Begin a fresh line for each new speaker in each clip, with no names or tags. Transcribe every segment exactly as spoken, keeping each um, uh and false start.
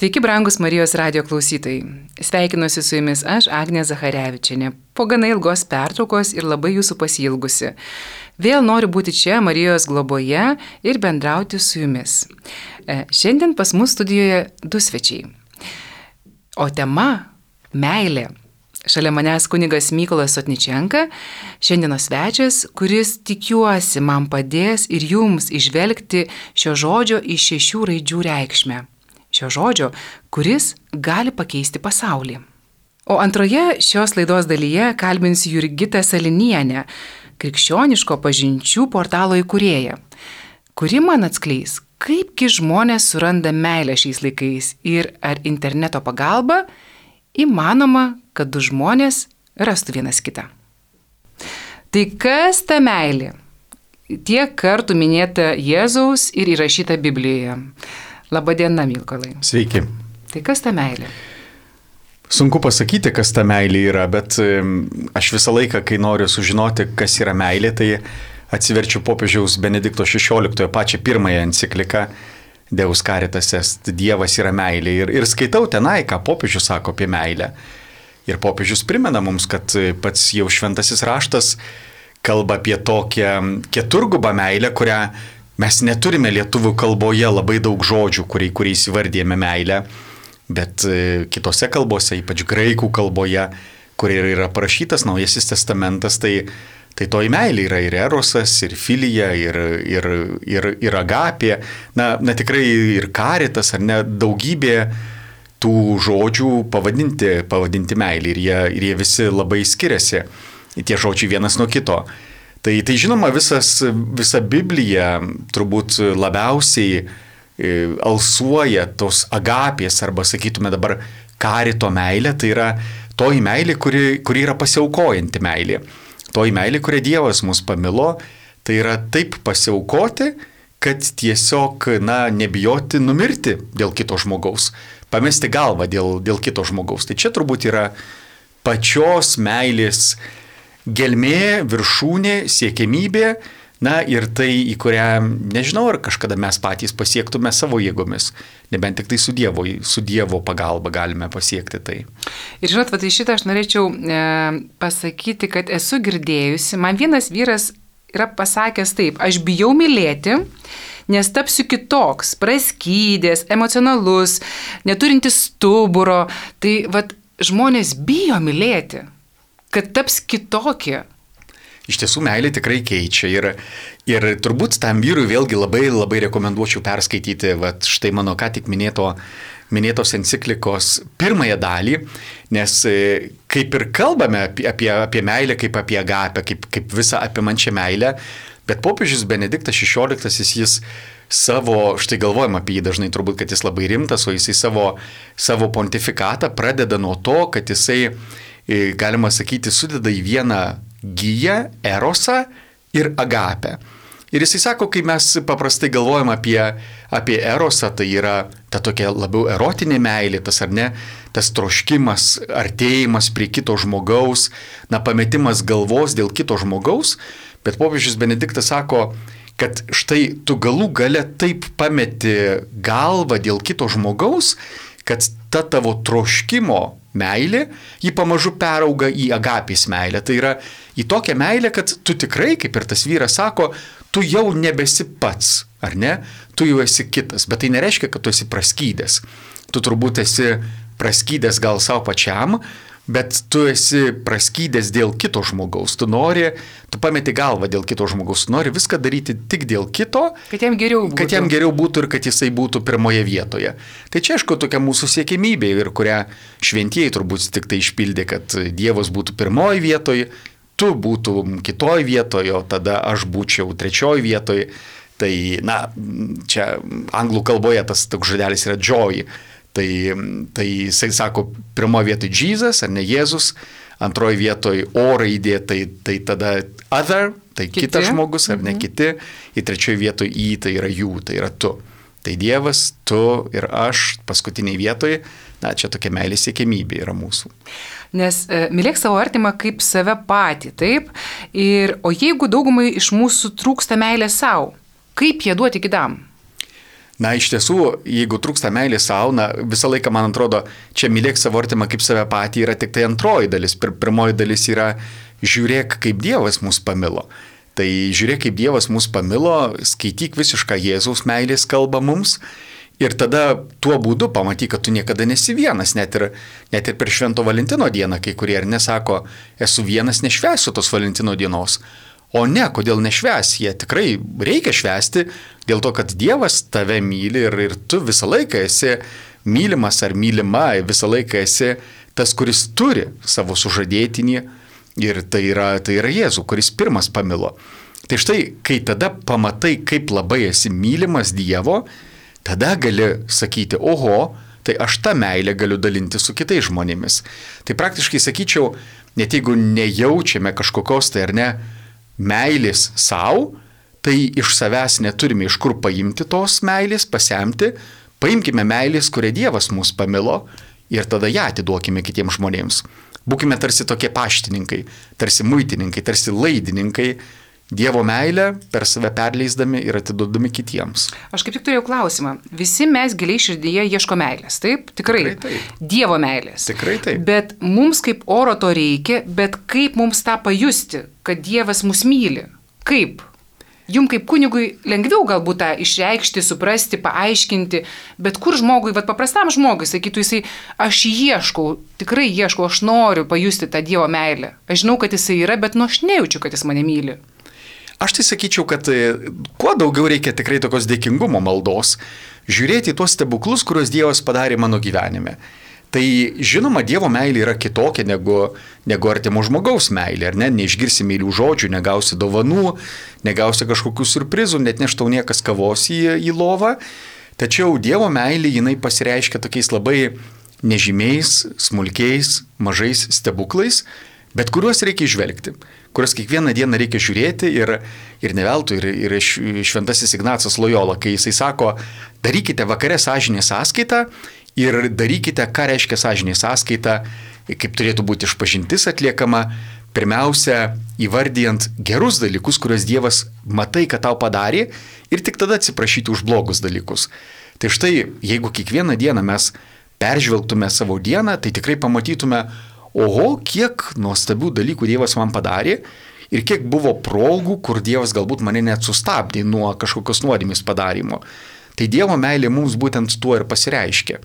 Sveiki, brangus Marijos radijo klausytojai. Sveikinuosi su jumis aš, Agnė Zacharevičienė, po gana ilgos pertraukos ir labai jūsų pasiilgusi. Vėl noriu būti čia Marijos globoje ir bendrauti su jumis. Šiandien pas mus studijoje du svečiai. O tema – meilė. Šalia manęs kunigas Mykolas Sotničenka, šiandienos svečias, kuris tikiuosi man padės ir jums išvelgti šio žodžio iš šešių raidžių reikšmę. Šio žodžio, kuris gali pakeisti pasaulį. O antroje šios laidos dalyje kalbinsiu Jurgitą Salinienę, krikščioniško pažinčių portalo įkūrėją, kuri man atskleis, kaipgi žmonės suranda meilę šiais laikais ir ar interneto pagalba įmanoma, kad du žmonės rastų vienas kitą. Tai kas ta meilė? Tiek kartų minėta Jėzaus ir įrašyta Biblijoje. Labadiena, Mykolai.
Sveiki.
Tai kas ta meilė?
Sunku pasakyti, kas ta meilė yra, bet aš visą laiką, kai noriu sužinoti, kas yra meilė, tai atsiverčiu popiežiaus Benedikto šešioliktojo pačią pirmąją encikliką Deus Caritas Est, Dievas yra meilė. Ir, ir skaitau tenai, ką popiežius sako apie meilę. Ir popiežius primena mums, kad pats jau šventasis raštas kalba apie tokią keturgubą meilę, kurią mes neturime lietuvių kalboje labai daug žodžių, kuriais įvardėjame meilę, bet kitose kalbose, ypač graikų kalboje, kur yra parašytas Naujasis testamentas, tai, tai toji meilė yra ir erosas, ir filija, ir, ir, ir, ir agapė, na, na tikrai ir karitas, ar ne, daugybė tų žodžių pavadinti, pavadinti meilį ir jie, ir jie visi labai skiriasi, tie žodžiai vienas nuo kito. Tai, tai žinoma, visas, visa Biblija turbūt labiausiai alsuoja tos agapės arba, sakytume dabar, karito meilė, tai yra toji meilė, kuri, kuri yra pasiaukojanti meilė. Toji meilė, kurią Dievas mus pamilo, tai yra taip pasiaukoti, kad tiesiog, na, nebijoti numirti dėl kito žmogaus, pamesti galvą dėl, dėl kito žmogaus. Tai čia turbūt yra pačios meilės gelmė, viršūnė, siekiamybė, na ir tai, į kurią, nežinau, ar kažkada mes patys pasiektume savo jėgomis, nebent tik tai su Dievo, su Dievo pagalba galime pasiekti tai.
Ir žinot, va, tai šitą aš norėčiau e, pasakyti, kad esu girdėjusi, man vienas vyras yra pasakęs taip, aš bijau mylėti, nes tapsiu kitoks, praskydęs, emocionalus, neturintis stuburo, tai va, žmonės bijo mylėti, kad taps kitokie.
Iš tiesų, meilė tikrai keičia ir, ir turbūt tam vyrui vėlgi labai, labai rekomenduočiau perskaityti, va, štai mano ką tik minėto, minėtos enciklikos pirmąją dalį, nes kaip ir kalbame apie, apie, apie meilę, kaip apie agapę, kaip, kaip visą apimančią meilę, bet popiežius Benediktas šešioliktasis jis savo, štai galvojam apie jį dažnai turbūt, kad jis labai rimtas, o jisai savo, savo pontifikatą pradeda nuo to, kad jisai, galima sakyti, sudeda į vieną giją, erosą ir agapę. Ir jisai sako, kai mes paprastai galvojam apie, apie erosą, tai yra ta tokia labiau erotinė meilė, tas ar ne, tas troškimas, artėjimas prie kito žmogaus, na, pametimas galvos dėl kito žmogaus, bet popiežius Benediktas sako, kad štai tu galų gale taip pameti galvą dėl kito žmogaus, kad ta tavo troškimo meilė, ji pamažu perauga į agapės meilę. Tai yra į tokią meilę, kad tu tikrai, kaip ir tas vyras sako, tu jau nebesi pats, ar ne? Tu jau esi kitas, bet tai nereiškia, kad tu esi praskydęs. Tu turbūt esi praskydęs gal savo pačiam, bet tu esi praskydęs dėl kito žmogaus. Tu nori, tu pameti galvą dėl kito žmogaus, tu nori viską daryti tik dėl kito,
kad jam geriau būtų,
kad jam geriau būtų ir kad jisai būtų pirmoje vietoje. Tai čia, aišku, tokia mūsų siekimybė ir kurią šventieji turbūt tik tai išpildė, kad Dievas būtų pirmoje vietoje, tu būtum kitoje vietoje, o tada aš būčiau trečioje vietoje. Tai, na, čia anglų kalboje tas toks žodelis yra joy. Tai, tai jisai sako, pirmoje vietoje Jesus, ar ne Jėzus, antroje vietoje O raidė, tai, tai tada other, tai kiti. Kitas žmogus, ar ne kiti, į trečioje vietoje I, tai yra jų, tai yra tu. Tai Dievas, tu ir aš paskutiniai vietoje, na, čia tokia meilės siekiamybė yra mūsų.
Nes e, mylėk savo artimą kaip save patį, taip? Ir, o jeigu daugumai iš mūsų trūksta meilės savo, kaip ją duoti kitam?
Na, iš tiesų, jeigu trūksta meilės savo, na, visą laiką, man atrodo, čia mylėk savo artimą kaip save patį yra tik tai antroji dalis. Pir, pirmoji dalis yra žiūrėk, kaip Dievas mus pamilo. Tai žiūrėk, kaip Dievas mus pamilo, skaityk visišką Jėzaus meilės kalbą mums ir tada tuo būdu pamatyk, kad tu niekada nesi vienas, net ir, net ir per Švento Valentino dieną, kai kurie ir nesako, esu vienas, nešvęsiu tos Valentino dienos. O ne, kodėl nešvęs, jie tikrai reikia švęsti, dėl to, kad Dievas tave myli ir, ir tu visą laiką esi mylimas ar mylima, visą laiką esi tas, kuris turi savo sužadėtinį ir tai yra, tai yra Jėzų, kuris pirmas pamilo. Tai štai, kai tada pamatai, kaip labai esi mylimas Dievo, tada gali sakyti, oho, tai aš tą meilę galiu dalinti su kitais žmonėmis. Tai praktiškai sakyčiau, net jeigu nejaučiame kažkokios tai ar ne, meilės savo, tai iš savęs neturime iš kur paimti tos meilės, pasemti, paimkime meilės, kurią Dievas mus pamilo ir tada ją atiduokime kitiems žmonėms. Būkime tarsi tokie paštininkai, tarsi muitininkai, tarsi laidininkai, Dievo meilę per save perleisdami ir atiduodami kitiems.
Aš kaip tik turėjau klausimą. Visi mes giliai širdyje ieško meilės, taip? Tikrai.
Tikrai taip.
Dievo meilės.
Tikrai taip.
Bet mums kaip oro to reikia, bet kaip mums tą pajusti, kad Dievas mus myli? Kaip? Jum kaip kunigui lengviau galbūt tą išreikšti, suprasti, paaiškinti, bet kur žmogui, vat paprastam žmogui, sakytų jisai, aš ieškau, tikrai ieškau, aš noriu pajusti tą Dievo meilę. Aš žinau, kad jisai yra, bet nu aš nejaučiu, kad jis mane myli.
Aš tai sakyčiau, kad kuo daugiau reikia tikrai tokios dėkingumo maldos, žiūrėti į tuos stebuklus, kuriuos Dievas padarė mano gyvenime. Tai žinoma, Dievo meilė yra kitokia negu, negu artimo žmogaus meilė, ar ne? Neišgirsi meilių žodžių, negausi dovanų, negausi kažkokių surprizų, net neštau niekas kavos į, į lovą. Tačiau Dievo meilė jinai pasireiškia tokiais labai nežymiais, smulkiais, mažais stebuklais, bet kuriuos reikia išvelgti, kuriuos kiekvieną dieną reikia žiūrėti ir, ir neveltui, ir, ir šventasis Ignacas Lojola, kai jisai sako, darykite vakare sąžinės sąskaitą ir darykite, ką reiškia sąžinės sąskaita, kaip turėtų būti išpažintis atliekama, pirmiausia, įvardijant gerus dalykus, kuriuos Dievas matai, kad tau padarė ir tik tada atsiprašyti už blogus dalykus. Tai štai, jeigu kiekvieną dieną mes peržvelgtume savo dieną, tai tikrai pamatytume, oho, kiek nuostabių dalykų Dievas man padarė ir kiek buvo progų, kur Dievas galbūt mane net sustabdė nuo kažkokios nuodėmės padarimo. Tai Dievo meilė mums būtent tuo ir pasireiškia.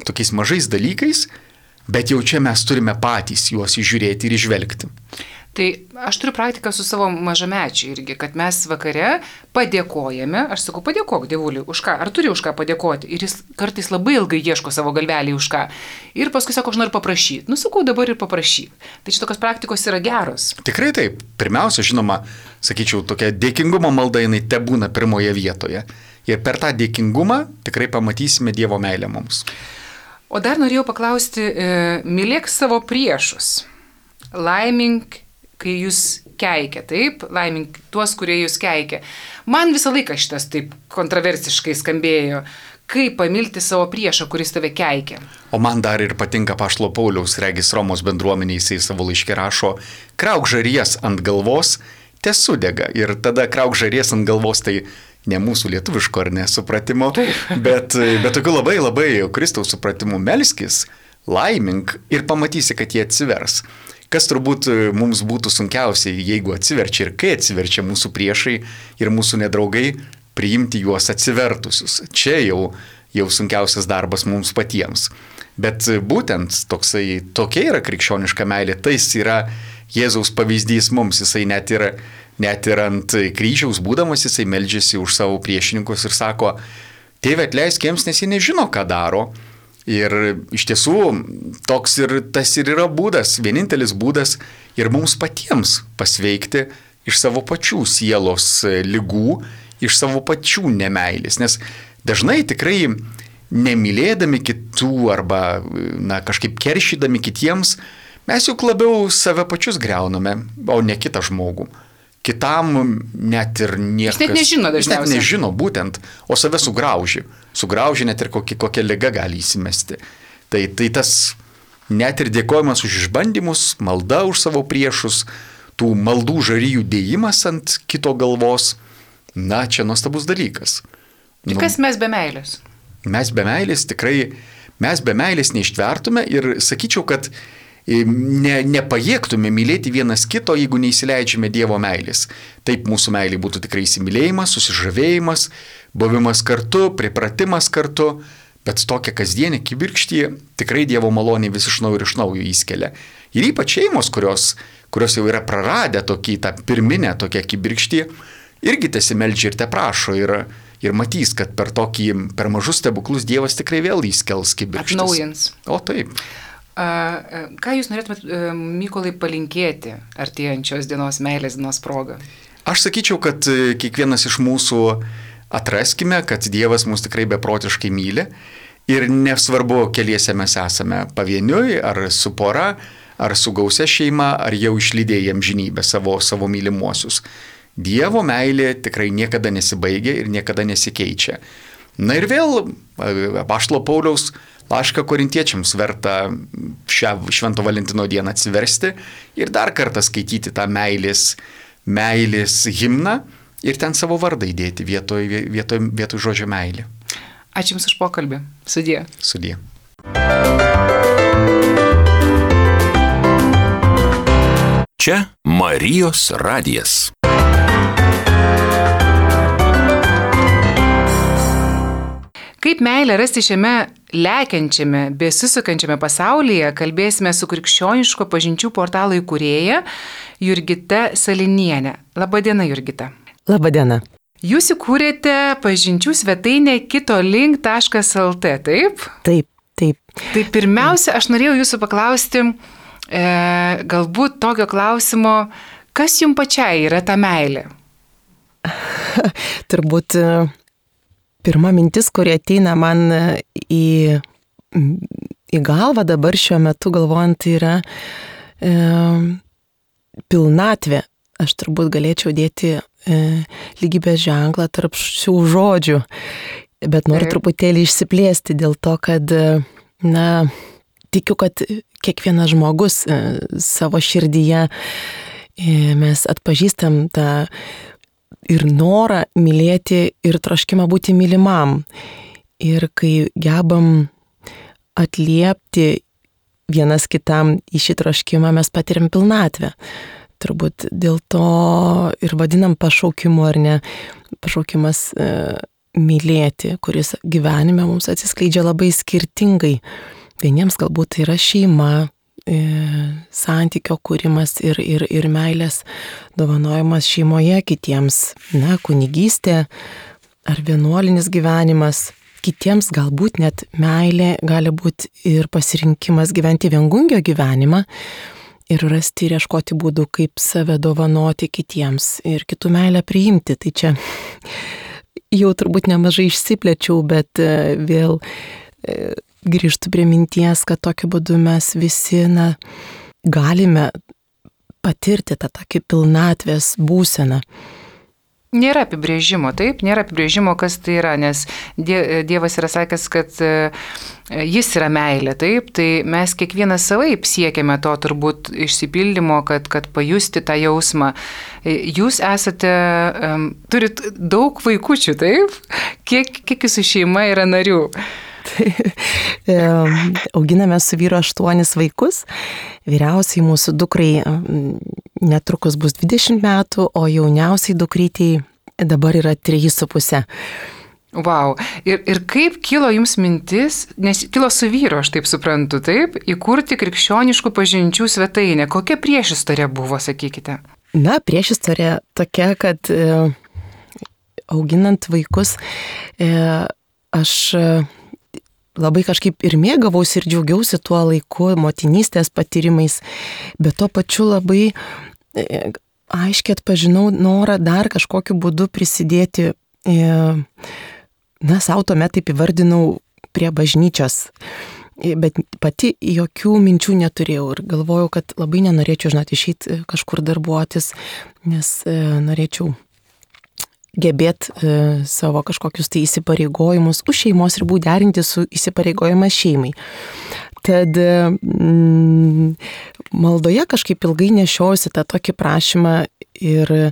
Tokiais mažais dalykais, bet jau čia mes turime patys juos įžiūrėti ir išvelgti.
Tai aš turiu praktiką su savo mažamečiu irgi, kad mes vakare padėkojame, aš sakau, padėkok Dievuliui, už ką, ar turi už ką padėkoti. Ir jis kartais labai ilgai ieško savo galvelį už ką. Ir paskui sako, aš noriu paprašyti. Nu, sakau, dabar ir paprašyk. Tai šitokios praktikos yra geros.
Tikrai taip. Pirmiausia, žinoma, sakyčiau, tokia dėkingumo malda jinai tebūna pirmoje vietoje. Ir per tą dėkingumą tikrai pamatysime Dievo meilę mums.
O dar norėjau paklausti, e, mylėk savo priešus. Laimink, kai jūs keikia, taip, laimink tuos, kurie jūs keikia. Man visą laiką šitas taip kontroversiškai skambėjo, kaip pamilti savo priešą, kuris tave keikia.
O man dar ir patinka Apaštalo Pauliaus, regis Romos bendruomeniai, jisai savo laiške rašo, krauk žaries ant galvos, tesudega. Ir tada krauk žaries ant galvos, tai ne mūsų lietuviško ar nesupratimo, bet, bet tokiu labai labai Kristaus supratimu melskis, laimink ir pamatysi, kad jie atsivers. Kas turbūt mums būtų sunkiausiai, jeigu atsiverčia ir kai atsiverčia mūsų priešai ir mūsų nedraugai, priimti juos atsivertusius. Čia jau, jau sunkiausias darbas mums patiems. Bet būtent toksai, tokia yra krikščioniška meilė, tai yra Jėzaus pavyzdys mums, jisai net ir, net ir ant kryžiaus būdamas, jisai meldžiasi už savo priešininkus ir sako, Tėve atleisk jiems, nes jie nežino, ką daro. Ir iš tiesų toks ir tas ir yra būdas, vienintelis būdas ir mums patiems pasveikti iš savo pačių sielos ligų, iš savo pačių nemailės. Nes dažnai tikrai nemylėdami kitų arba na, kažkaip keršydami kitiems, mes juk labiau save pačius greuname, o ne kitą žmogų. Kitam net ir niekas...
Jis net nežino dažniausiai.
Jis net nežino būtent, o save sugrauži. Sugrauži net ir kokia, kokia liga gali įsimesti. Tai, tai tas net ir dėkojimas už išbandymus, malda už savo priešus, tų maldų žaryjų dėjimas ant kito galvos, na, čia nuostabus dalykas.
Tai kas mes be meilės?
Mes be meilės tikrai, mes be meilės neištvertume ir sakyčiau, kad ne, nepajėgtume mylėti vienas kito, jeigu neįsileidžiame Dievo meilės. Taip mūsų meilė būtų tikrai įsimylėjimas, susižavėjimas, buvimas kartu, pripratimas kartu, bet tokia kasdienė kibirkštį tikrai Dievo malonė vis iš naujo ir iš naujo įskelia. Ir ypač šeimos, kurios, kurios jau yra praradę tokį tą pirminę tokią kibirkštį, irgi tesimeldžia ir te prašo ir, ir matys, kad per tokį, per mažus stebuklus Dievas tikrai vėl įskels kibirkštis.
Atnaujins.
O taip.
A, ką jūs norėtumėt, Mykolai, palinkėti artėjančios dienos meilės dienos proga?
Aš sakyčiau, kad kiekvienas iš mūsų atraskime, kad Dievas mus tikrai beprotiškai myli ir nesvarbu, keliese mes esame pavieniui, ar su pora, ar su gausia šeima, ar jau išlydėję amžinybę savo, savo mylimuosius. Dievo meilė tikrai niekada nesibaigia ir niekada nesikeičia. Na ir vėl apaštalo Pauliaus laišką korintiečiams verta šią Švento Valentino dieną atsiversti ir dar kartą skaityti tą meilės, meilės himną ir ten savo vardą įdėti vietoj, vietoj, vietoj žodžio meilė.
Ačiū Jums už pokalbį. Sudie.
Sudie.
Čia Marijos radijas.
Kaip meilę rasti šiame lekiančiame, besisukančiame pasaulyje, kalbėsime su krikščioniško pažinčių portalo įkūrėja Jurgita Salinienė. Labadiena, Jurgita.
Labadiena.
Jūs įkūrėte pažinčių svetainę kitolink taškas lt, taip?
Taip, taip.
Tai pirmiausia, aš norėjau jūsų paklausti, e, galbūt tokio klausimo, kas jums pačiai yra ta meilė?
Turbūt pirma mintis, kuri ateina man į, į galvą dabar šiuo metu galvojant, yra e, pilnatvė. Aš turbūt galėčiau dėti e, lygybės ženklą tarp šių žodžių, bet noriu Taip. truputėlį išsiplėsti dėl to, kad, na, tikiu, kad kiekvienas žmogus e, savo širdyje e, mes atpažįstam tą ir norą mylėti ir troškimą būti mylimam. Ir kai gebam atliepti vienas kitam į šį troškimą, mes patiriam pilnatvę. Turbūt dėl to ir vadinam pašaukimu, ar ne, pašaukimas e, mylėti, kuris gyvenime mums atsiskleidžia labai skirtingai. Vieniems galbūt tai yra šeima, e, santykio kūrimas ir, ir, ir meilės dovanojimas šeimoje, kitiems, na, kunigystė ar vienuolinis gyvenimas. Kitiems galbūt net meilė gali būti ir pasirinkimas gyventi viengungio gyvenimą, ir rasti ir ieškoti būdų, kaip save dovanoti kitiems ir kitų meilę priimti. Tai čia jau turbūt nemažai išsiplėčiau, bet vėl grįžtu prie minties, kad tokiu būdu mes visi, na, galime patirti tą tokį pilnatvės būseną.
Nėra apibrėžimo, taip, nėra apibrėžimo, kas tai yra, nes Dievas yra sakęs, kad jis yra meilė, taip, tai mes kiekvienas savaip siekiame to turbūt išsipildymo, kad, kad pajusti tą jausmą. Jūs esate, um, turit daug vaikučių, taip? Kiek, kiek jūsų šeima yra narių?
Auginame su vyru aštuonis vaikus. Vyriausiai mūsų dukrai netrukus bus dvidešimt metų, o jauniausiai dukrytei dabar yra trys su puse.
Vau. Ir, ir kaip kilo jums mintis, nes kilo su vyru, aš taip suprantu, taip, įkurti krikščioniškų pažinčių svetainę. Kokia priešistorė buvo, sakykite?
Na, priešistorė tokia, kad e, auginant vaikus e, aš e, labai kažkaip ir mėgavausi ir džiaugiausi tuo laiku, motinystės patyrimais, bet tuo pačiu labai e, aiškiai atpažinau norą dar kažkokiu būdu prisidėti, e, na, savo tuomet taip įvardinau prie bažnyčios, e, bet pati jokių minčių neturėjau ir galvojau, kad labai nenorėčiau, žinot, išeiti kažkur darbuotis, nes e, norėčiau gebėt e, savo kažkokius tai įsipareigojimus už šeimos ribų derinti su įsipareigojimas šeimai. Tad mm, maldoje kažkaip ilgai nešiausi tą tokį prašymą ir e,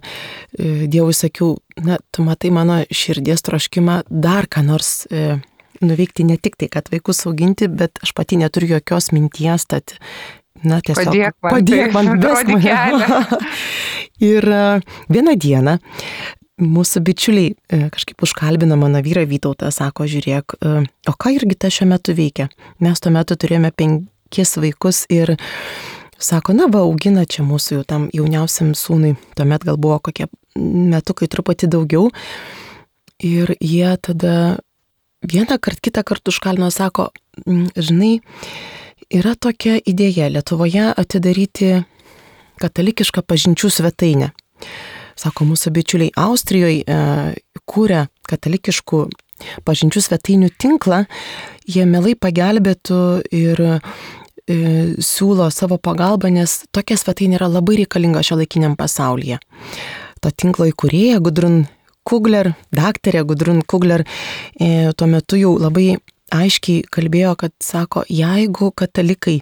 Dievui sakiau, na, tu matai mano širdies troškimą dar ką nors e, nuveikti, ne tik tai, kad vaikus auginti, bet aš pati neturiu jokios minties, tad, na, tiesiog
padėk man,
padėk man,
duodi kelią.
Ir e, vieną dieną mūsų bičiuliai e, kažkaip užkalbino mano vyrą Vytautą, sako, žiūrėk, e, o ką Jurgita šiuo metu veikia? Mes tuo metu turėjome penkis vaikus ir sako, na va, augina čia mūsų jau tam jauniausiam sūnui, tuomet gal buvo kokie metukai truputį daugiau. Ir jie tada vieną kart, kitą kartą užkalbino, sako, žinai, yra tokia idėja Lietuvoje atidaryti katalikišką pažinčių svetainę. Sako, mūsų bičiuliai Austrijoje e, kūrė katalikiškų pažinčių svetainių tinklą, jie mielai pagelbėtų ir e, siūlo savo pagalbą, nes tokia svetainė yra labai reikalinga šiuolaikiniam pasaulyje. To tinklo įkūrėja Gudrun Kugler, daktarė Gudrun Kugler, e, tuo metu jau labai aiškiai kalbėjo, kad sako, jeigu katalikai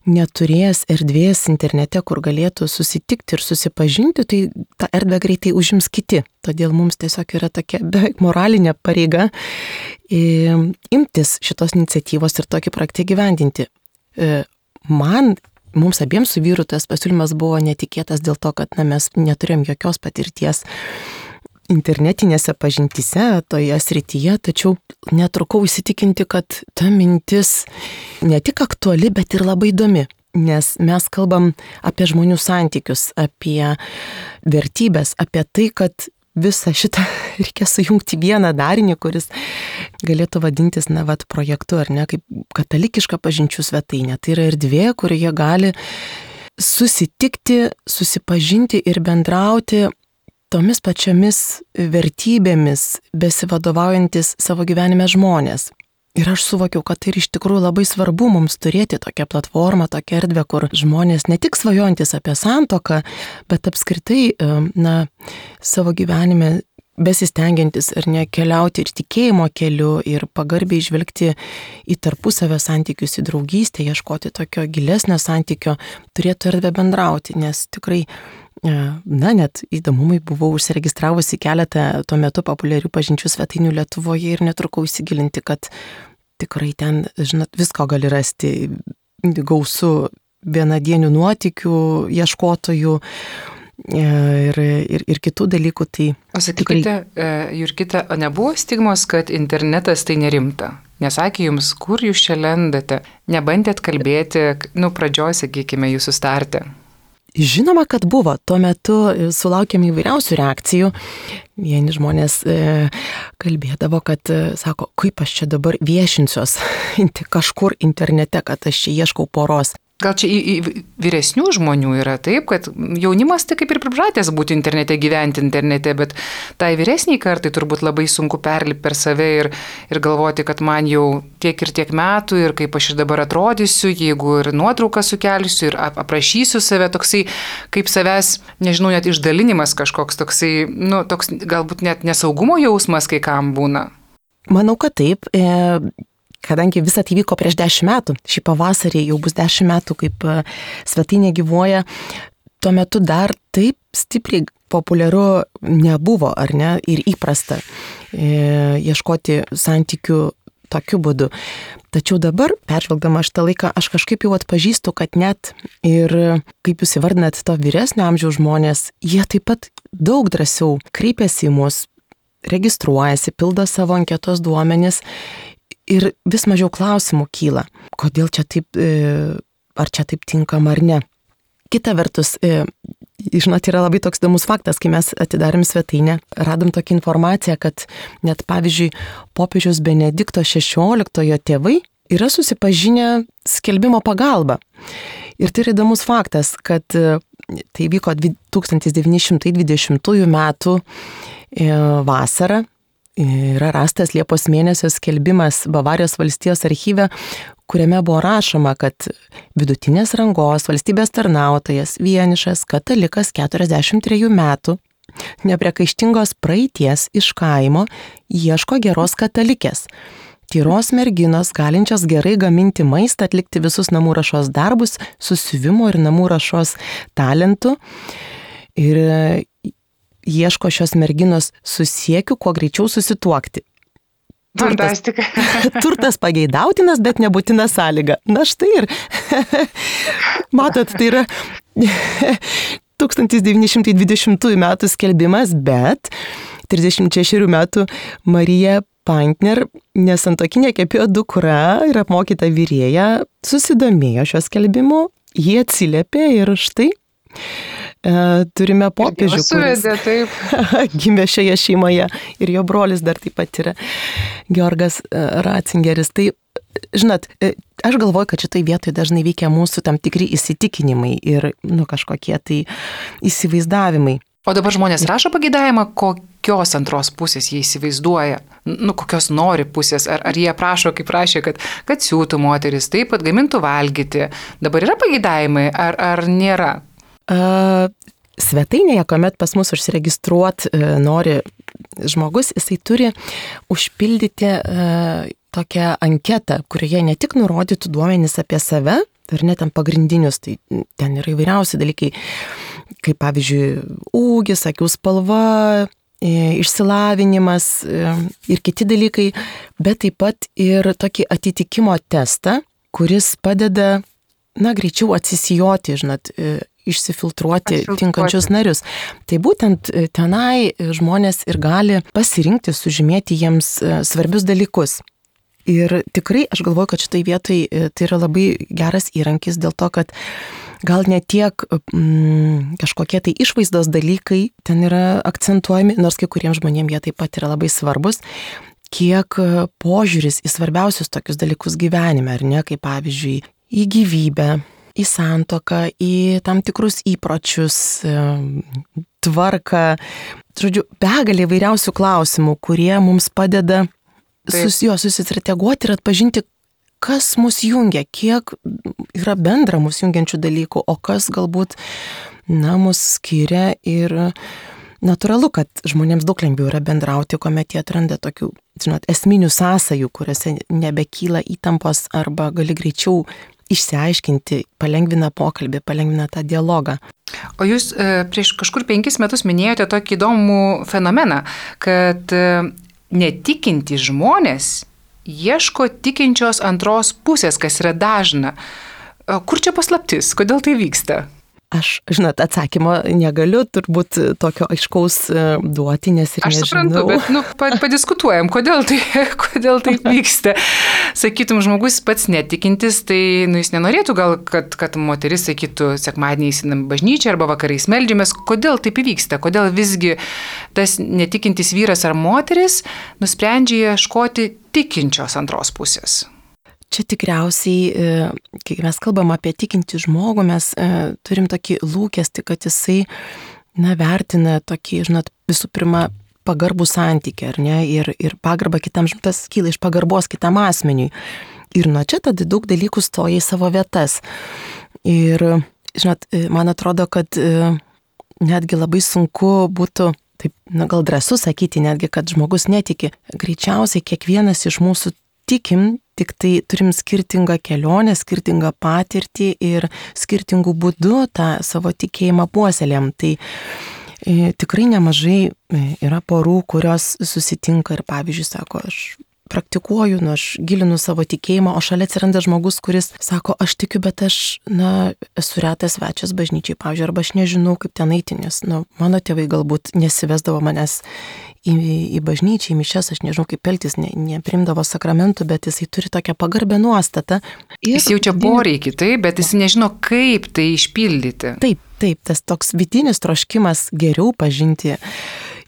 neturės erdvės internete, kur galėtų susitikti ir susipažinti, tai tą erdvę greitai užims kiti. Todėl mums tiesiog yra tokia beveik moralinė pareiga imtis šitos iniciatyvos ir tokį projektą gyvendinti. Man, mums abiems su vyru tas pasiūlymas buvo netikėtas dėl to, kad na, mes neturėjom jokios patirties internetinėse pažintyse, toje srityje, tačiau netrukau įsitikinti, kad ta mintis ne tik aktuali, bet ir labai įdomi, nes mes kalbam apie žmonių santykius, apie vertybės, apie tai, kad visą šitą reikia sujungti vieną darinį, kuris galėtų vadintis, na, vat, projektu, ar ne, kaip katalikiška pažinčių svetainė. Tai yra erdvė, kurioje gali susitikti, susipažinti ir bendrauti tomis pačiomis vertybėmis besivadovaujantis savo gyvenime žmonės. Ir aš suvokiau, kad tai iš tikrųjų labai svarbu mums turėti tokią platformą, tokią erdvę, kur žmonės ne tik svajojantis apie santuoką, bet apskritai, na, savo gyvenime besistengiantis ar ne keliauti ir tikėjimo keliu ir pagarbiai žvelgti į tarpusavio santykius, į draugystę, ieškoti tokio gilesnio santykio, turėtų erdvę bendrauti, nes tikrai na, net įdomumai buvau užsiregistravusi keletą tuo metu populiarių pažinčių svetainių Lietuvoje ir netrukau įsigilinti, kad tikrai ten, žinot, visko gali rasti, gausu vienadienių nuotykių, ieškotojų ir, ir, ir kitų dalykų. Tai
o sakykite, tikrai... Jurgita, o nebuvo stigmos, kad internetas tai nerimta? Nesakė jums, kur jūs čia lendate? Nebandėt kalbėti, nu, pradžioj, sakykime, jūsų starte?
Žinoma, kad buvo. Tuo metu sulaukėme įvairiausių reakcijų. Vieni žmonės e, kalbėdavo, kad, e, sako, kaip aš čia dabar viešinsiuos kažkur internete, kad aš čia ieškau poros.
Gal čia į, į vyresnių žmonių yra taip, kad jaunimas tai kaip ir pripratęs būti internete, gyventi internete, bet tai vyresniai kartai turbūt labai sunku perlipti per save ir, ir galvoti, kad man jau tiek ir tiek metų ir kaip aš ir dabar atrodysiu, jeigu ir nuotrauką sukelsiu ir ap, aprašysiu save, toksai kaip savęs, nežinau, net išdalinimas kažkoks, toksai, nu, toks galbūt net nesaugumo jausmas kai kam būna.
Manau, kad taip. E... Kadangi visą tai vyko prieš dešimt metų, šį pavasarį jau bus dešimt metų, kaip svetainė gyvuoja, tuo metu dar taip stipriai populiaru nebuvo, ar ne, ir įprasta e, ieškoti santykių tokiu būdu. Tačiau dabar, peržvelgdama šitą laiką, aš kažkaip jau atpažįstu, kad net ir, kaip jūs įvardinat, to vyresnio amžiaus žmonės, jie taip pat daug drąsiau kreipiasi į mus, registruojasi, pildo savo anketos duomenis. Ir vis mažiau klausimų kyla, kodėl čia taip, ar čia taip tinkama ar ne. Kita vertus, žinot, yra labai toks įdomus faktas, kai mes atidarėm svetainę, radom tokią informaciją, kad net pavyzdžiui, popiežiaus Benedikto šešioliktojo tėvai yra susipažinę skelbimo pagalba. Ir tai yra įdomus faktas, kad tai vyko tūkstantis devyni šimtai dvidešimtųjų metų vasarą. Yra rastas Liepos mėnesio skelbimas Bavarijos valstijos archyve, kuriame buvo rašoma, kad vidutinės rangos valstybės tarnautojas, vienišas, katalikas keturiasdešimt trejų metų, nepriekaištingos praeities iš kaimo, ieško geros katalikės. tyros merginos, galinčios gerai gaminti maistą, atlikti visus namų ruošos darbus, susiuvimo ir namų ruošos talentų. Ir ieško šios merginos su siekiu, kuo greičiau susituokti. Turtas, turtas pageidautinas, bet nebūtina sąlyga. Na štai ir, matot, tai yra tūkstantis devyni šimtai dvidešimtųjų metų skelbimas, bet trisdešimt šešerių metų Marija Pantner, nesantuokinė kepėjo dukra ir apmokyta vyrėja, susidomėjo šio skelbimu, jie atsiliepė ir štai e, turime popiežių,
suvedė, taip.
Gimė šioje šeimoje ir jo brolis dar taip pat yra Georgas Ratzingeris. Tai, žinot, aš galvoju, kad šitai vietoje dažnai veikia mūsų tam tikri įsitikinimai ir nu, kažkokie tai įsivaizdavimai.
O dabar žmonės rašo pageidavimą, kokios antros pusės jie įsivaizduoja, nu, kokios nori pusės, ar, ar jie prašo, kaip prašė, kad, kad siūtų moteris, taip pat gamintų valgyti. Dabar yra pageidavimai, ar, ar nėra?
Uh, svetainėje, kuomet pas mus užsiregistruot uh, nori žmogus, jisai turi užpildyti uh, tokią anketą, kurioje ne tik nurodytų duomenys apie save, ar net ten pagrindinius, tai ten yra įvairiausi dalykai, kaip pavyzdžiui, ūgis, akių spalva, išsilavinimas ir kiti dalykai, bet taip pat ir tokį atitikimo testą, kuris padeda, na, greičiau atsisijoti, žinot, išsifiltruoti tinkančius narius. Tai būtent tenai žmonės ir gali pasirinkti, sužymėti jiems svarbius dalykus. Ir tikrai aš galvoju, kad šitai vietai tai yra labai geras įrankis dėl to, kad gal ne tiek mm, kažkokie tai išvaizdos dalykai ten yra akcentuojami, nors kai kuriems žmonėms jie taip pat yra labai svarbus, kiek požiūris į svarbiausius tokius dalykus gyvenime, ar ne, kaip pavyzdžiui, į gyvybę, į santuoką, į tam tikrus įpročius, tvarką, žodžiu, begalė įvairiausių klausimų, kurie mums padeda sus, jo, susistrateguoti ir atpažinti, kas mus jungia, kiek yra bendra mus jungiančių dalykų, o kas galbūt, na, mus skiria ir natūralu, kad žmonėms daug lengviau yra bendrauti, kuomet jie atranda tokių, žinot, esminių sąsajų, kuriuose nebekyla įtampos arba gali greičiau išsiaiškinti, palengvina pokalbį, palengvina tą dialogą.
O jūs e, prieš kažkur penkis metus minėjote tokį įdomų fenomeną, kad e, netikinti žmonės ieško tikinčios antros pusės, kas yra dažna. Kur čia paslaptis? Kodėl tai vyksta?
Aš, žinot, atsakymo negaliu turbūt tokio aiškaus duoti, nes ir
aš
nežinau. Aš
suprantu, bet nu, padiskutuojam, kodėl tai, kodėl tai vyksta. Sakytum, žmogus pats netikintis, tai nu, jis nenorėtų gal, kad, kad moteris sakytų, sekmadienį įsinam bažnyčią arba vakarais meldžiamės. Kodėl taip įvyksta? Kodėl visgi tas netikintis vyras ar moteris nusprendžia ieškoti tikinčios antros pusės?
Čia tikriausiai, kai mes kalbam apie tikintį žmogų, mes turim tokį lūkestį, kad jisai, na, vertina tokį, žinot, visų pirma, pagarbų santykį, ar ne, ir, ir pagarbą kitam, tas kyla iš pagarbos kitam asmeniui. Ir nuo čia tada daug dalykų stoja į savo vietas. Ir, žinot, man atrodo, kad netgi labai sunku būtų, taip, na, gal drąsu sakyti, netgi, kad žmogus netiki. Greičiausiai kiekvienas iš mūsų tikim, tik tai turim skirtingą kelionę, skirtingą patirtį ir skirtingų būdų tą savo tikėjimą puoselėm. Tai e, tikrai nemažai yra porų, kurios susitinka ir, pavyzdžiui, sako, aš praktikuoju, nu, aš gilinu savo tikėjimą, o šalia atsiranda žmogus, kuris sako, aš tikiu, bet aš, na, esu retas svečias bažnyčiai, pavyzdžiui, arba aš nežinau, kaip ten eiti, nes, nu, mano tėvai galbūt nesivesdavo manęs į, į bažnyčią, į mišias, aš nežinau, kaip elgtis, ne, neprimdavo sakramentų, bet jisai turi tokią pagarbę nuostatą. Ir
jis jaučia poreikį, taip, bet jis nežino, kaip tai išpildyti.
Taip, taip, tas toks vidinis troškimas geriau pažinti.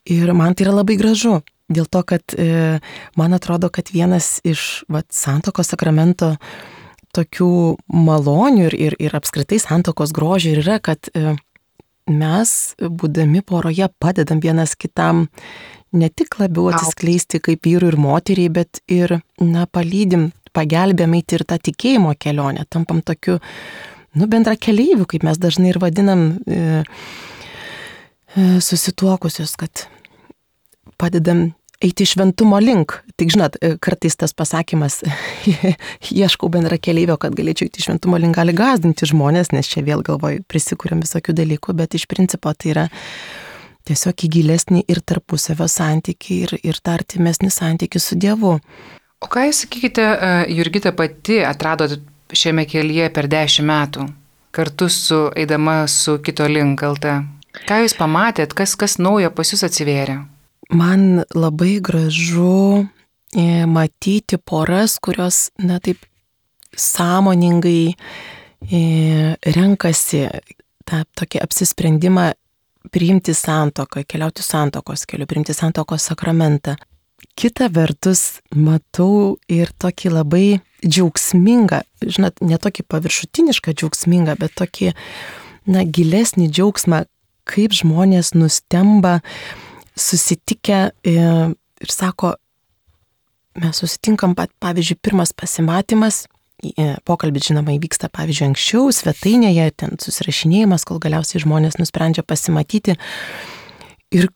Ir man tai yra labai gražu. Dėl to, kad e, man atrodo, kad vienas iš vat, santuokos sakramento tokių malonių ir, ir, ir apskritai santuokos grožio yra, kad e, mes, būdami poroje, padedam vienas kitam ne tik labiau atsiskleisti kaip vyrui ir moteriai, bet ir, na, palydim, pagelbėm eiti ir tą tikėjimo kelionę, tampam tokiu, nu, bendra keleiviu, kaip mes dažnai ir vadinam e, e, susituokusius, kad padedam eiti šventumo link. Tik žinot, kartais tas pasakymas, ieškau bendra keleivio, kad galėčiau eiti šventumo link, gali gąsdinti žmonės, nes čia vėl galvoju, prisikūrėm visokių dalykų, bet iš principo tai yra tiesiog į gilesnį ir tarpusavio santykį, ir, ir tą artimesnį santykį su Dievu.
O ką jūs sakykite, Jurgita pati atradot šiame kelyje per dešimt metų, kartu su eidama su Kito link L T? Ką jūs pamatėt, kas, kas naujo pas jūs atsivėrė?
Man labai gražu e, matyti poras, kurios, na taip, sąmoningai e, renkasi tą tokį apsisprendimą priimti santuoką, keliauti santuokos keliu, priimti santuokos sakramentą. Kita vertus, matau ir tokį labai džiaugsmingą, žinot, ne tokį paviršutinišką džiaugsmingą, bet tokį, na, gilesnį džiaugsmą, kaip žmonės nustemba susitikę ir sako, mes susitinkam, pavyzdžiui, pirmas pasimatymas, pokalbis, žinoma, įvyksta, pavyzdžiui, anksčiau, svetainėje, ten susirašinėjimas, kol galiausiai žmonės nusprendžia pasimatyti. Ir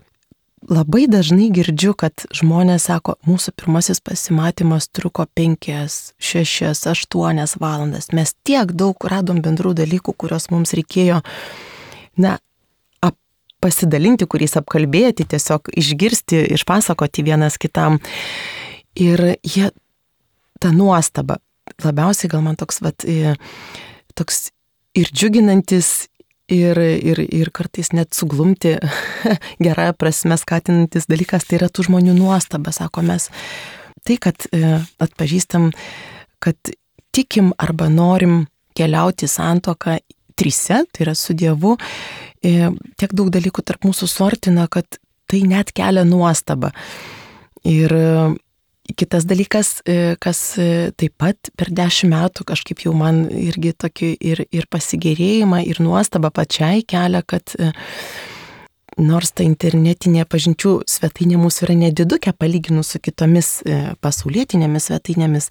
labai dažnai girdžiu, kad žmonės sako, mūsų pirmasis pasimatymas truko penkias, šešias, aštuonias valandas. Mes tiek daug radom bendrų dalykų, kuriuos mums reikėjo, na, pasidalinti, kuriais apkalbėti, tiesiog išgirsti, išpasakoti vienas kitam. Ir jie, ta nuostaba, labiausiai gal man toks, vat, toks ir džiuginantis, ir, ir, ir kartais net suglumti, gerąją prasme skatinantis dalykas, tai yra tų žmonių nuostaba, sako mes. Tai, kad atpažįstam, kad tikim arba norim keliauti santuoką trise, tai yra su Dievu, tiek daug dalykų tarp mūsų suartina, kad tai net kelia nuostabą. Ir kitas dalykas, kas taip pat per dešimt metų kažkaip jau man irgi tokį ir, ir pasigėrėjimą, ir nuostabą pačiai kelia, kad nors ta internetinė pažinčių svetainė mūsų yra nedidukė palyginus su kitomis pasaulietinėmis svetainėmis,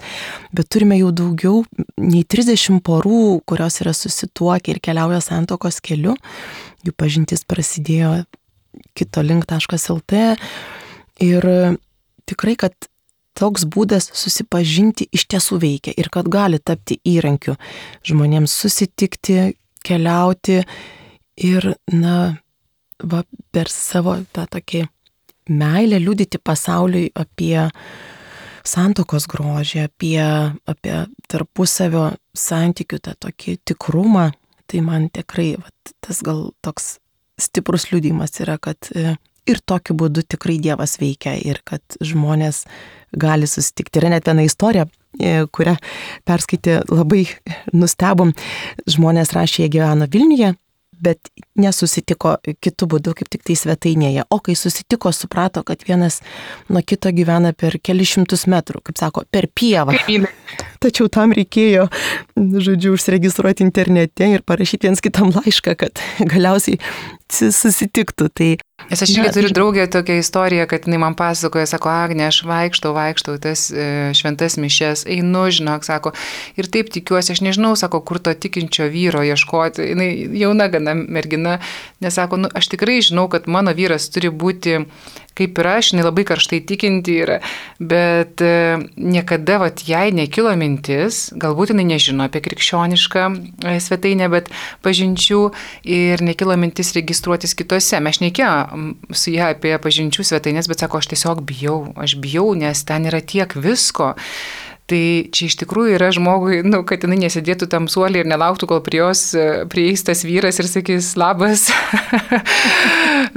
bet turime jau daugiau nei trisdešimt porų, kurios yra susituokę ir keliauja santuokos keliu. Jų pažintis prasidėjo kito link taškas el tė ir tikrai, kad toks būdas susipažinti iš tiesų veikia ir kad gali tapti įrankiu žmonėms susitikti, keliauti ir, na, va, per savo tą tokį meilę liudyti pasauliui apie santuokos grožį, apie, apie tarpusavio santykių tą tokį tikrumą. Tai man tikrai va, tas gal toks stiprus liudijimas yra, kad ir tokiu būdu tikrai Dievas veikia ir kad žmonės gali susitikti. Yra net viena istorija, kurią perskaitė, labai nustebom. Žmonės rašė, jie gyveno Vilniuje, bet nesusitiko kitų būdų, kaip tik tai svetainėje. O kai susitiko, suprato, kad vienas nuo kito gyvena per kelius šimtus metrų, kaip sako, per pievą. Tačiau tam reikėjo, žodžiu, užsiregistruoti internete ir parašyti viens kitam laišką, kad galiausiai susitiktų. Tai,
Nes aš irgi turiu draugę tokią istoriją, kad jinai man pasakoja, sako, Agne, aš vaikštau, vaikštau tas e, šventas mišes, einu, žinok, sako, ir taip tikiuosi, aš nežinau, sako, kur to tikinčio vyro ieškoti. Jinai jauna gana mergina, nes sako, nu, aš tikrai žinau, kad mano vyras turi būti kaip ir aš, jinai labai karštai tikinti yra, bet e, niekada vat, jai nekilo mintis, galbūt jinai nežino apie krikščionišką e, svetainę, bet pažinčių ir nekilo mintis registruotis kitose. Mes šnekėjome su ją apie pažinčių svetainės, bet sako, aš tiesiog bijau, aš bijau, nes ten yra tiek visko. Tai čia iš tikrųjų yra žmogui, nu, kad jinai nesėdėtų tam suolį ir nelauktų, kol prie jos prieis tas vyras ir sakys, labas,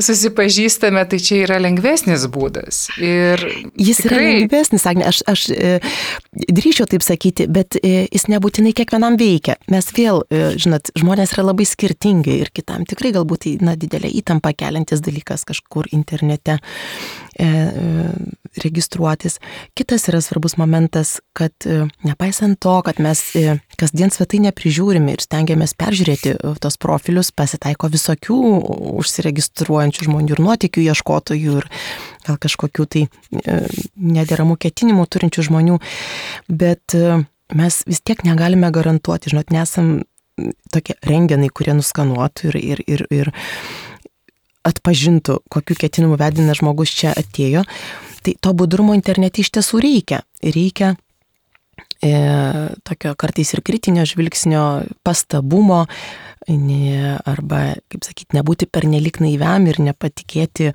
susipažįstame, tai čia yra lengvesnis būdas. Ir
jis
tikrai...
yra lengvesnis, Agne, aš, aš e, drįšiau taip sakyti, bet e, jis nebūtinai kiekvienam veikia. Mes vėl, e, žinot, žmonės yra labai skirtingi ir kitam tikrai galbūt na, didelė įtampa keliantis dalykas kažkur internete e, e, registruotis. Kitas yra svarbus momentas, kad nepaisant to, kad mes kasdien svetainę prižiūrime ir stengiamės peržiūrėti tos profilius, pasitaiko visokių užsiregistruojančių žmonių ir nuotykių ieškotojų ir gal kažkokių tai nederamų ketinimų turinčių žmonių, bet mes vis tiek negalime garantuoti, žinot, nesam tokie rengenai, kurie nuskanuotų ir, ir, ir, ir atpažintų, kokiu ketinimu vedina žmogus čia atėjo. Tai to budrumo internete iš tiesų reikia. Reikia e, tokio kartais ir kritinio žvilgsnio, pastabumo, ne, arba, kaip sakyti, nebūti pernelik naiviam ir nepatikėti,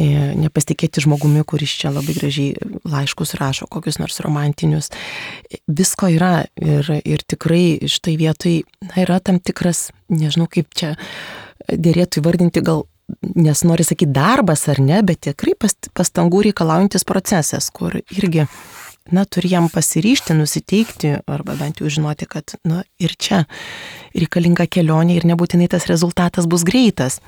e, nepasitikėti žmogumi, kuris čia labai gražiai laiškus rašo, kokius nors romantinius. Visko yra ir, ir tikrai štai vietoj na, yra tam tikras, nežinau kaip čia dėrėtų įvardinti, gal nes nori sakyti darbas ar ne, bet tikrai pastangų reikalaujantis procesas, kur irgi na, turi jam pasiryžti, nusiteikti, arba bent jau žinoti, kad na, ir čia reikalinga kelionė ir nebūtinai tas rezultatas bus greitas.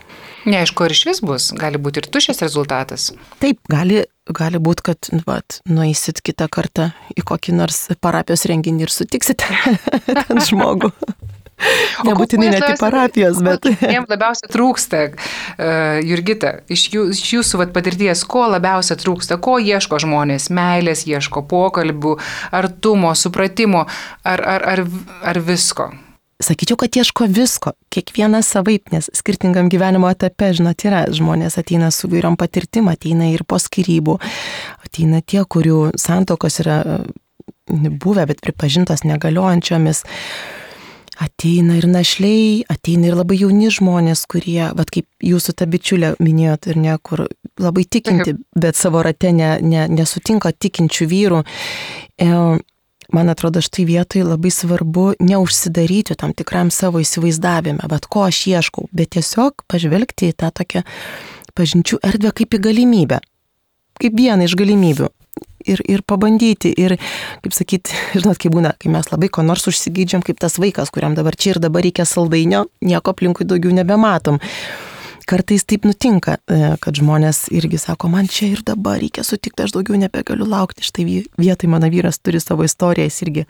Neaišku, ar iš vis bus, gali būti ir tuščias rezultatas.
Taip, gali, gali būti, kad vat, nueisit kitą kartą į kokį nors parapijos renginį ir sutiksite ten žmogų. Nebūtinai net į parapijos, bet...
Jiems labiausiai trūksta, uh, Jurgita, iš, jų, iš jūsų vat, patirties, ko labiausiai trūksta, ko ieško žmonės, meilės ieško, pokalbių, artumo, supratimo, ar, ar, ar, ar visko?
Sakyčiau, kad ieško visko, kiekvienas savaip, nes skirtingam gyvenimo etape, žinot, yra žmonės ateina su vairiom patirtim, ateina ir po skyrybų, ateina tie, kurių santokos yra buvę, bet pripažintos negaliojančiomis. Ateina ir našliai, ateina ir labai jauni žmonės, kurie, vat kaip jūsų ta bičiulė minėjot, ir ne, kur labai tikinti, bet savo rate ne, ne, nesutinka tikinčių vyrų. E, man atrodo, štai vietoj labai svarbu neužsidaryti tam tikram savo įsivaizdavime, bet ko aš ieškau, bet tiesiog pažvelgti į tą tokią pažinčių erdvę kaip į galimybę, kaip vieną iš galimybių. Ir, ir pabandyti, ir, kaip sakyti, žinot, kaip būna, kai mes labai ko nors užsigydžiam, kaip tas vaikas, kuriam dabar čia ir dabar reikia saldainio, nieko aplinkui daugiau nebematom. Kartais taip nutinka, kad žmonės irgi sako, man čia ir dabar reikia sutikti, aš daugiau nebegaliu laukti. Štai vietoj mano vyras turi savo istoriją, jis irgi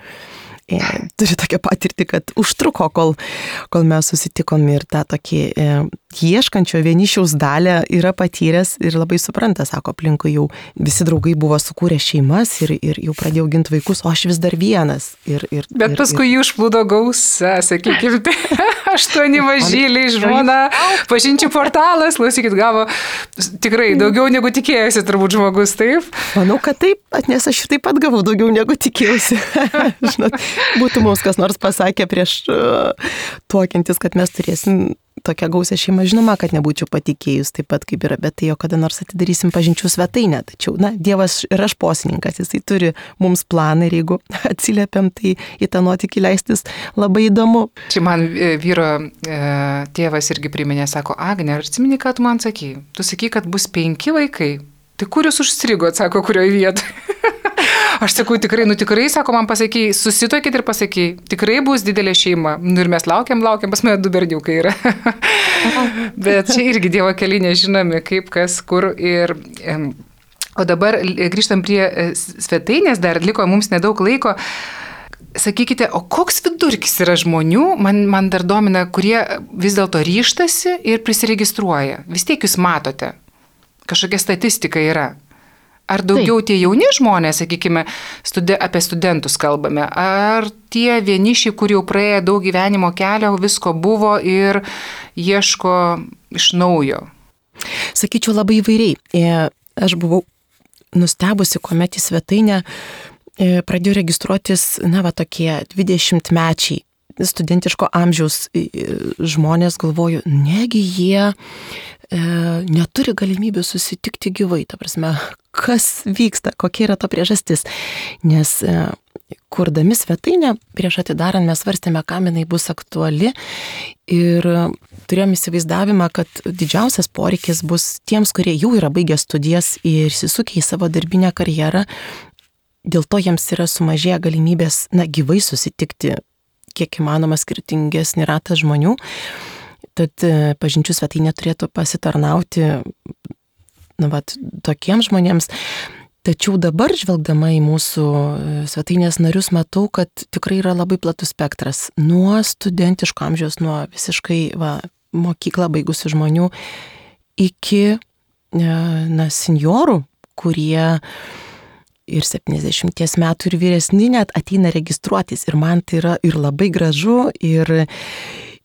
e, turi tokią patirtį, kad užtruko, kol, kol mes susitikom ir tą tokį e, ieškančio vienišiaus dalę yra patyręs ir labai supranta, sako, aplinkui jau visi draugai buvo sukūrę šeimas ir, ir jau pradėjau ginti vaikus, o aš vis dar vienas. Ir, ir,
bet
ir,
paskui
ir...
jų užplūdo gausa, sakykime, aštuoni mažyliai, žmona, pažinčių portalas, klausykit, gavo tikrai daugiau negu tikėjosi turbūt žmogus, taip?
Manau, kad taip, nes aš taip pat gavau daugiau negu tikėjausi. Žinot, būtų mums kas nors pasakė prieš uh, tuokiantis, kad mes turėsim tokią gausią šeimą, žinoma, kad nebūčiau patikėjus taip pat kaip yra, bet tai jo kada nors atidarysim pažinčių svetainę. Tačiau, na, Dievas yra šposininkas, jisai turi mums planą ir jeigu atsiliepiam, tai į tą nuotykį leistis labai įdomu.
Čia man vyro e, tėvas irgi priminė, sako, Agne, ar atsimeni, ką tu man sakai? Tu sakai, kad bus penki vaikai. Tai kur jūs užstrigot, sako, kurioje vietoje? Aš sakau, tikrai, nu tikrai, sako, man pasakai, susituokit ir pasakai, tikrai bus didelė šeima. Nu ir mes laukiam, laukiam, pas mane du berniukai yra. Bet čia irgi Dievo keliai nežinomi, kaip, kas, kur ir... O dabar grįžtam prie svetainės, dar liko mums nedaug laiko. Sakykite, o koks vidurkis yra žmonių, man, man dar domina, kurie vis dėlto ryštasi ir prisiregistruoja. Vis tiek jūs matote, kažkokia statistika yra. Ar daugiau Taip. Tie jauni žmonės, sakykime, studi- apie studentus kalbame, ar tie vienišiai, kur jau praėjo daug gyvenimo kelio, visko buvo ir ieško iš naujo?
Sakyčiau labai įvairiai. Aš buvau nustebusi, kuomet į svetainę pradėjo registruotis, na, va, tokie dvidešimtmečiai studentiško amžiaus žmonės, galvoju, negi jie e, neturi galimybių susitikti gyvai, ta prasme, kas vyksta, kokia yra to priežastis, nes e, kurdami svetainę, prieš atidarant mes svarstėme, kam jinai bus aktuali ir turėjom įsivaizdavimą, kad didžiausias poreikis bus tiems, kurie jau yra baigę studijas ir įsisukę į savo darbinę karjerą, dėl to jiems yra sumažėję galimybės, na, gyvai susitikti kiek įmanoma skirtingesnį ratą žmonių, tad pažinčių svetainė turėtų pasitarnauti, na, vat, tokiems žmonėms. Tačiau dabar, žvelgdama į mūsų svetainės narius, matau, kad tikrai yra labai platus spektras. Nuo studentiško amžiaus, nuo visiškai va, mokyklą baigusių žmonių iki, na, senjorų, kurie ir septyniasdešimties metų ir vyresni net ateina registruotis. Ir man tai yra ir labai gražu, ir,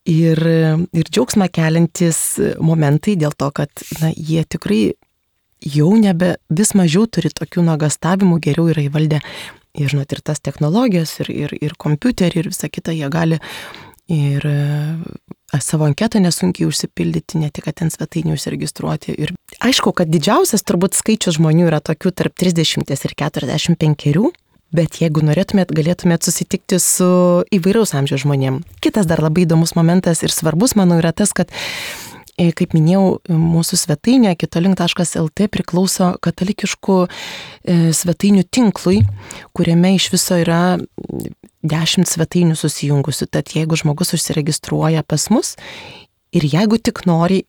ir, ir džiaugsmą keliantis momentai dėl to, kad na, jie tikrai jau nebe vis mažiau turi tokių nuogastavimų, geriau yra įvaldę ir, žinot, ir tas technologijas, ir, ir, ir kompiuterį, ir visą kitą, jie gali ir e, savo anketą nesunkiai užsipildyti, ne tik, kad ten svetainį užsiregistruoti. Ir aišku, kad didžiausias turbūt skaičius žmonių yra tokių tarp trisdešimt ir keturiasdešimt penkerių, bet jeigu norėtumėt, galėtumėt susitikti su įvairaus amžiaus žmonėm. Kitas dar labai įdomus momentas ir svarbus, manau, yra tas, kad kaip minėjau, mūsų svetainė kitolink taškas el tė priklauso katalikiškų svetainių tinklui, kuriame iš viso yra dešimt svetainių susijungusių. Tad jeigu žmogus užsiregistruoja pas mus ir jeigu tik nori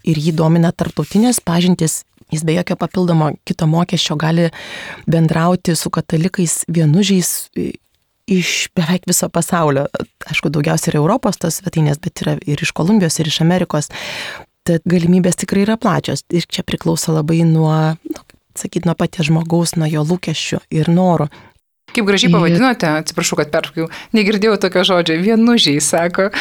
ir jį domina tarptautinės pažintys, jis be jokio papildomo kito mokesčio gali bendrauti su katalikais vienužiais iš beveik viso pasaulio. Aišku, daugiausiai yra Europos tos svetainės, bet yra ir iš Kolumbijos, ir iš Amerikos. Tad galimybės tikrai yra plačios. Ir čia priklauso labai nuo, nu, sakyt, nuo paties žmogaus, nuo jo lūkesčių ir norų.
Kaip gražiai pavadinote, atsiprašau, kad pertraukiau, negirdėjau tokio žodžio, vienužiai, sako.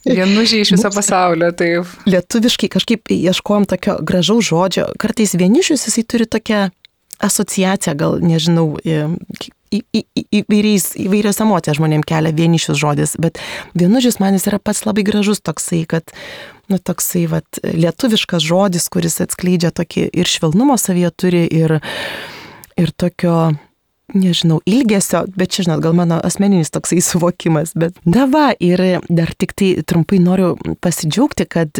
Vienužiai iš viso pasaulio, taip.
Lietuviškai kažkaip ieškojom tokio gražaus žodžio. Kartais vienišius jisai turi tokią asociaciją, gal nežinau, Į, į, į, įvairiais, įvairios emocijas žmonėm kelia vienišius žodis, bet vienužis man jis yra pats labai gražus toksai, kad, nu, toksai, vat, lietuviškas žodis, kuris atskleidžia tokį ir švelnumo savyje turi, ir, ir tokio, nežinau, ilgesio, bet čia, žinot, gal mano asmeninis toksai suvokimas, bet dava, ir dar tik tai trumpai noriu pasidžiaugti, kad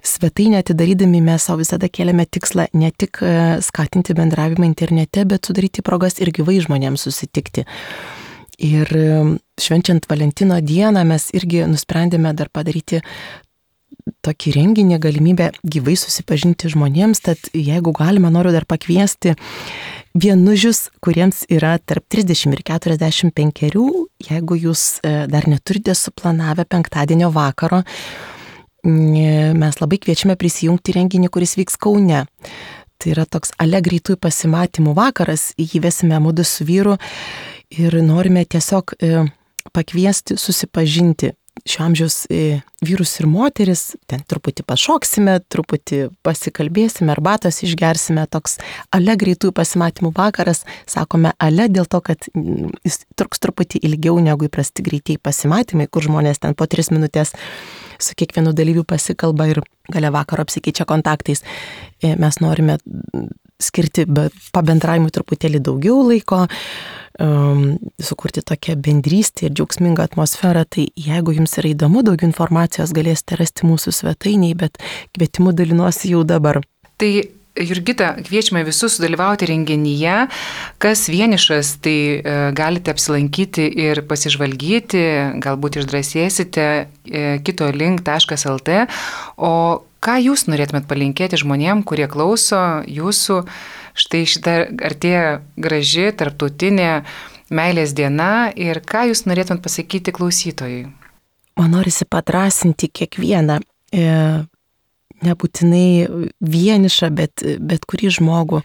svetainę atidarydami mes savo visada kėlėme tikslą ne tik skatinti bendravimą internete, bet sudaryti progas ir gyvai žmonėms susitikti. Ir švenčiant Valentino dieną mes irgi nusprendėme dar padaryti tokį renginį, galimybę gyvai susipažinti žmonėms, tad jeigu galima, noriu dar pakviesti vienužius, kuriems yra tarp trisdešimt ir keturiasdešimt penkerių, jeigu jūs dar neturite suplanavę penktadienio vakaro, mes labai kviečiame prisijungti renginį, kuris vyks Kaune. Tai yra toks ale greitųjų pasimatymų vakaras, jį vesime mudu su vyru ir norime tiesiog pakviesti susipažinti šio amžiaus vyrus ir moteris, ten truputį pašoksime, truputį pasikalbėsime, arbatos išgersime, toks ale greitųjų pasimatymų vakaras, sakome ale dėl to, kad jis truks truputį ilgiau negu įprasti greitieji pasimatymai, kur žmonės ten po tris minutės su kiekvienu dalyviu pasikalba ir gale vakaro apsikeičia kontaktais. Mes norime skirti pabendravimui truputėlį daugiau laiko, um, sukurti tokią bendrystę ir džiaugsmingą atmosferą. Tai jeigu jums yra įdomu, daugiau informacijos galėsite rasti mūsų svetainiai, bet kvietimu dalinuosi jau dabar.
Tai Jurgita, kviečiame visus sudalyvauti renginyje. Kas vienišas, tai e, galite apsilankyti ir pasižvalgyti, galbūt išdrąsėsite e, kitolink taškas el tė. O ką jūs norėtumėt palinkėti žmonėm, kurie klauso jūsų, štai šitą artėja graži tarptautinė meilės diena, ir ką jūs norėtumėt pasakyti klausytojui?
Man norisi padrąsinti kiekvieną, e, nebūtinai vienišą, bet, bet kurį žmogų,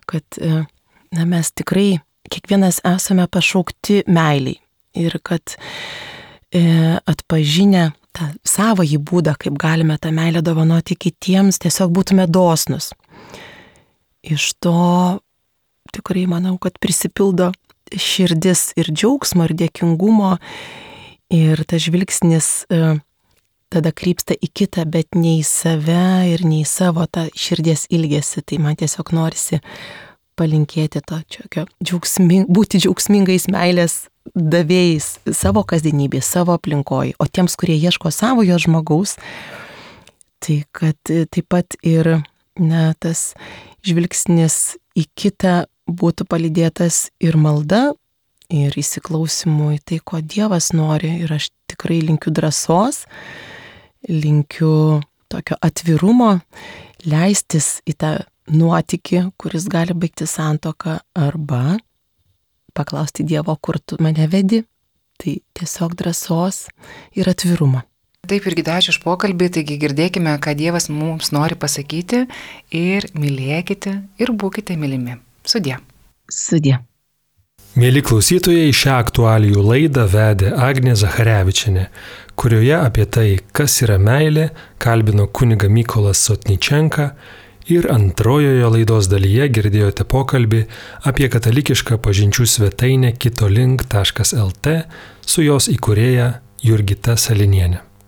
kad na, mes tikrai kiekvienas esame pašaukti meiliai ir kad e, atpažinę tą savąjį būdą, kaip galime tą meilę dovanoti kitiems, tiesiog būtume dosnus. Iš to tikrai manau, kad prisipildo širdis ir džiaugsmo, ir dėkingumo, ir tas žvilgsnis e, tada krypsta į kitą, bet ne į save ir ne į savo tą širdies ilgesį. Tai man tiesiog norisi palinkėti to čiokio, džiaugsming, būti džiaugsmingais meilės davėjais savo kasdienybėje, savo aplinkoje. O tiems, kurie ieško savojo žmogaus, tai kad taip pat ir na, tas žvilgsnis į kitą būtų palydėtas ir malda, ir įsiklausimu į tai, ko Dievas nori. Ir aš tikrai linkiu drąsos, linkiu tokio atvirumo, leistis į tą nuotykį, kuris gali baigti santuoką, arba paklausti Dievo, kur tu mane vedi. Tai tiesiog drąsos ir atvirumo.
Taip, irgi ačiū už pokalbį, taigi girdėkime, ką Dievas mums nori pasakyti, ir mylėkite ir būkite mylimi. Sudie.
Sudie.
Mėly klausytojai, šią aktualijų laidą vedė Agnė Zacharevičienė, kurioje apie tai, kas yra meilė, kalbino kunigą Mykolą Sotničenką Ir antrojoje laidos dalyje girdėjote pokalbį apie katalikišką pažinčių svetainę kitolink taškas el tė su jos įkūrėja Jurgita Salinienė.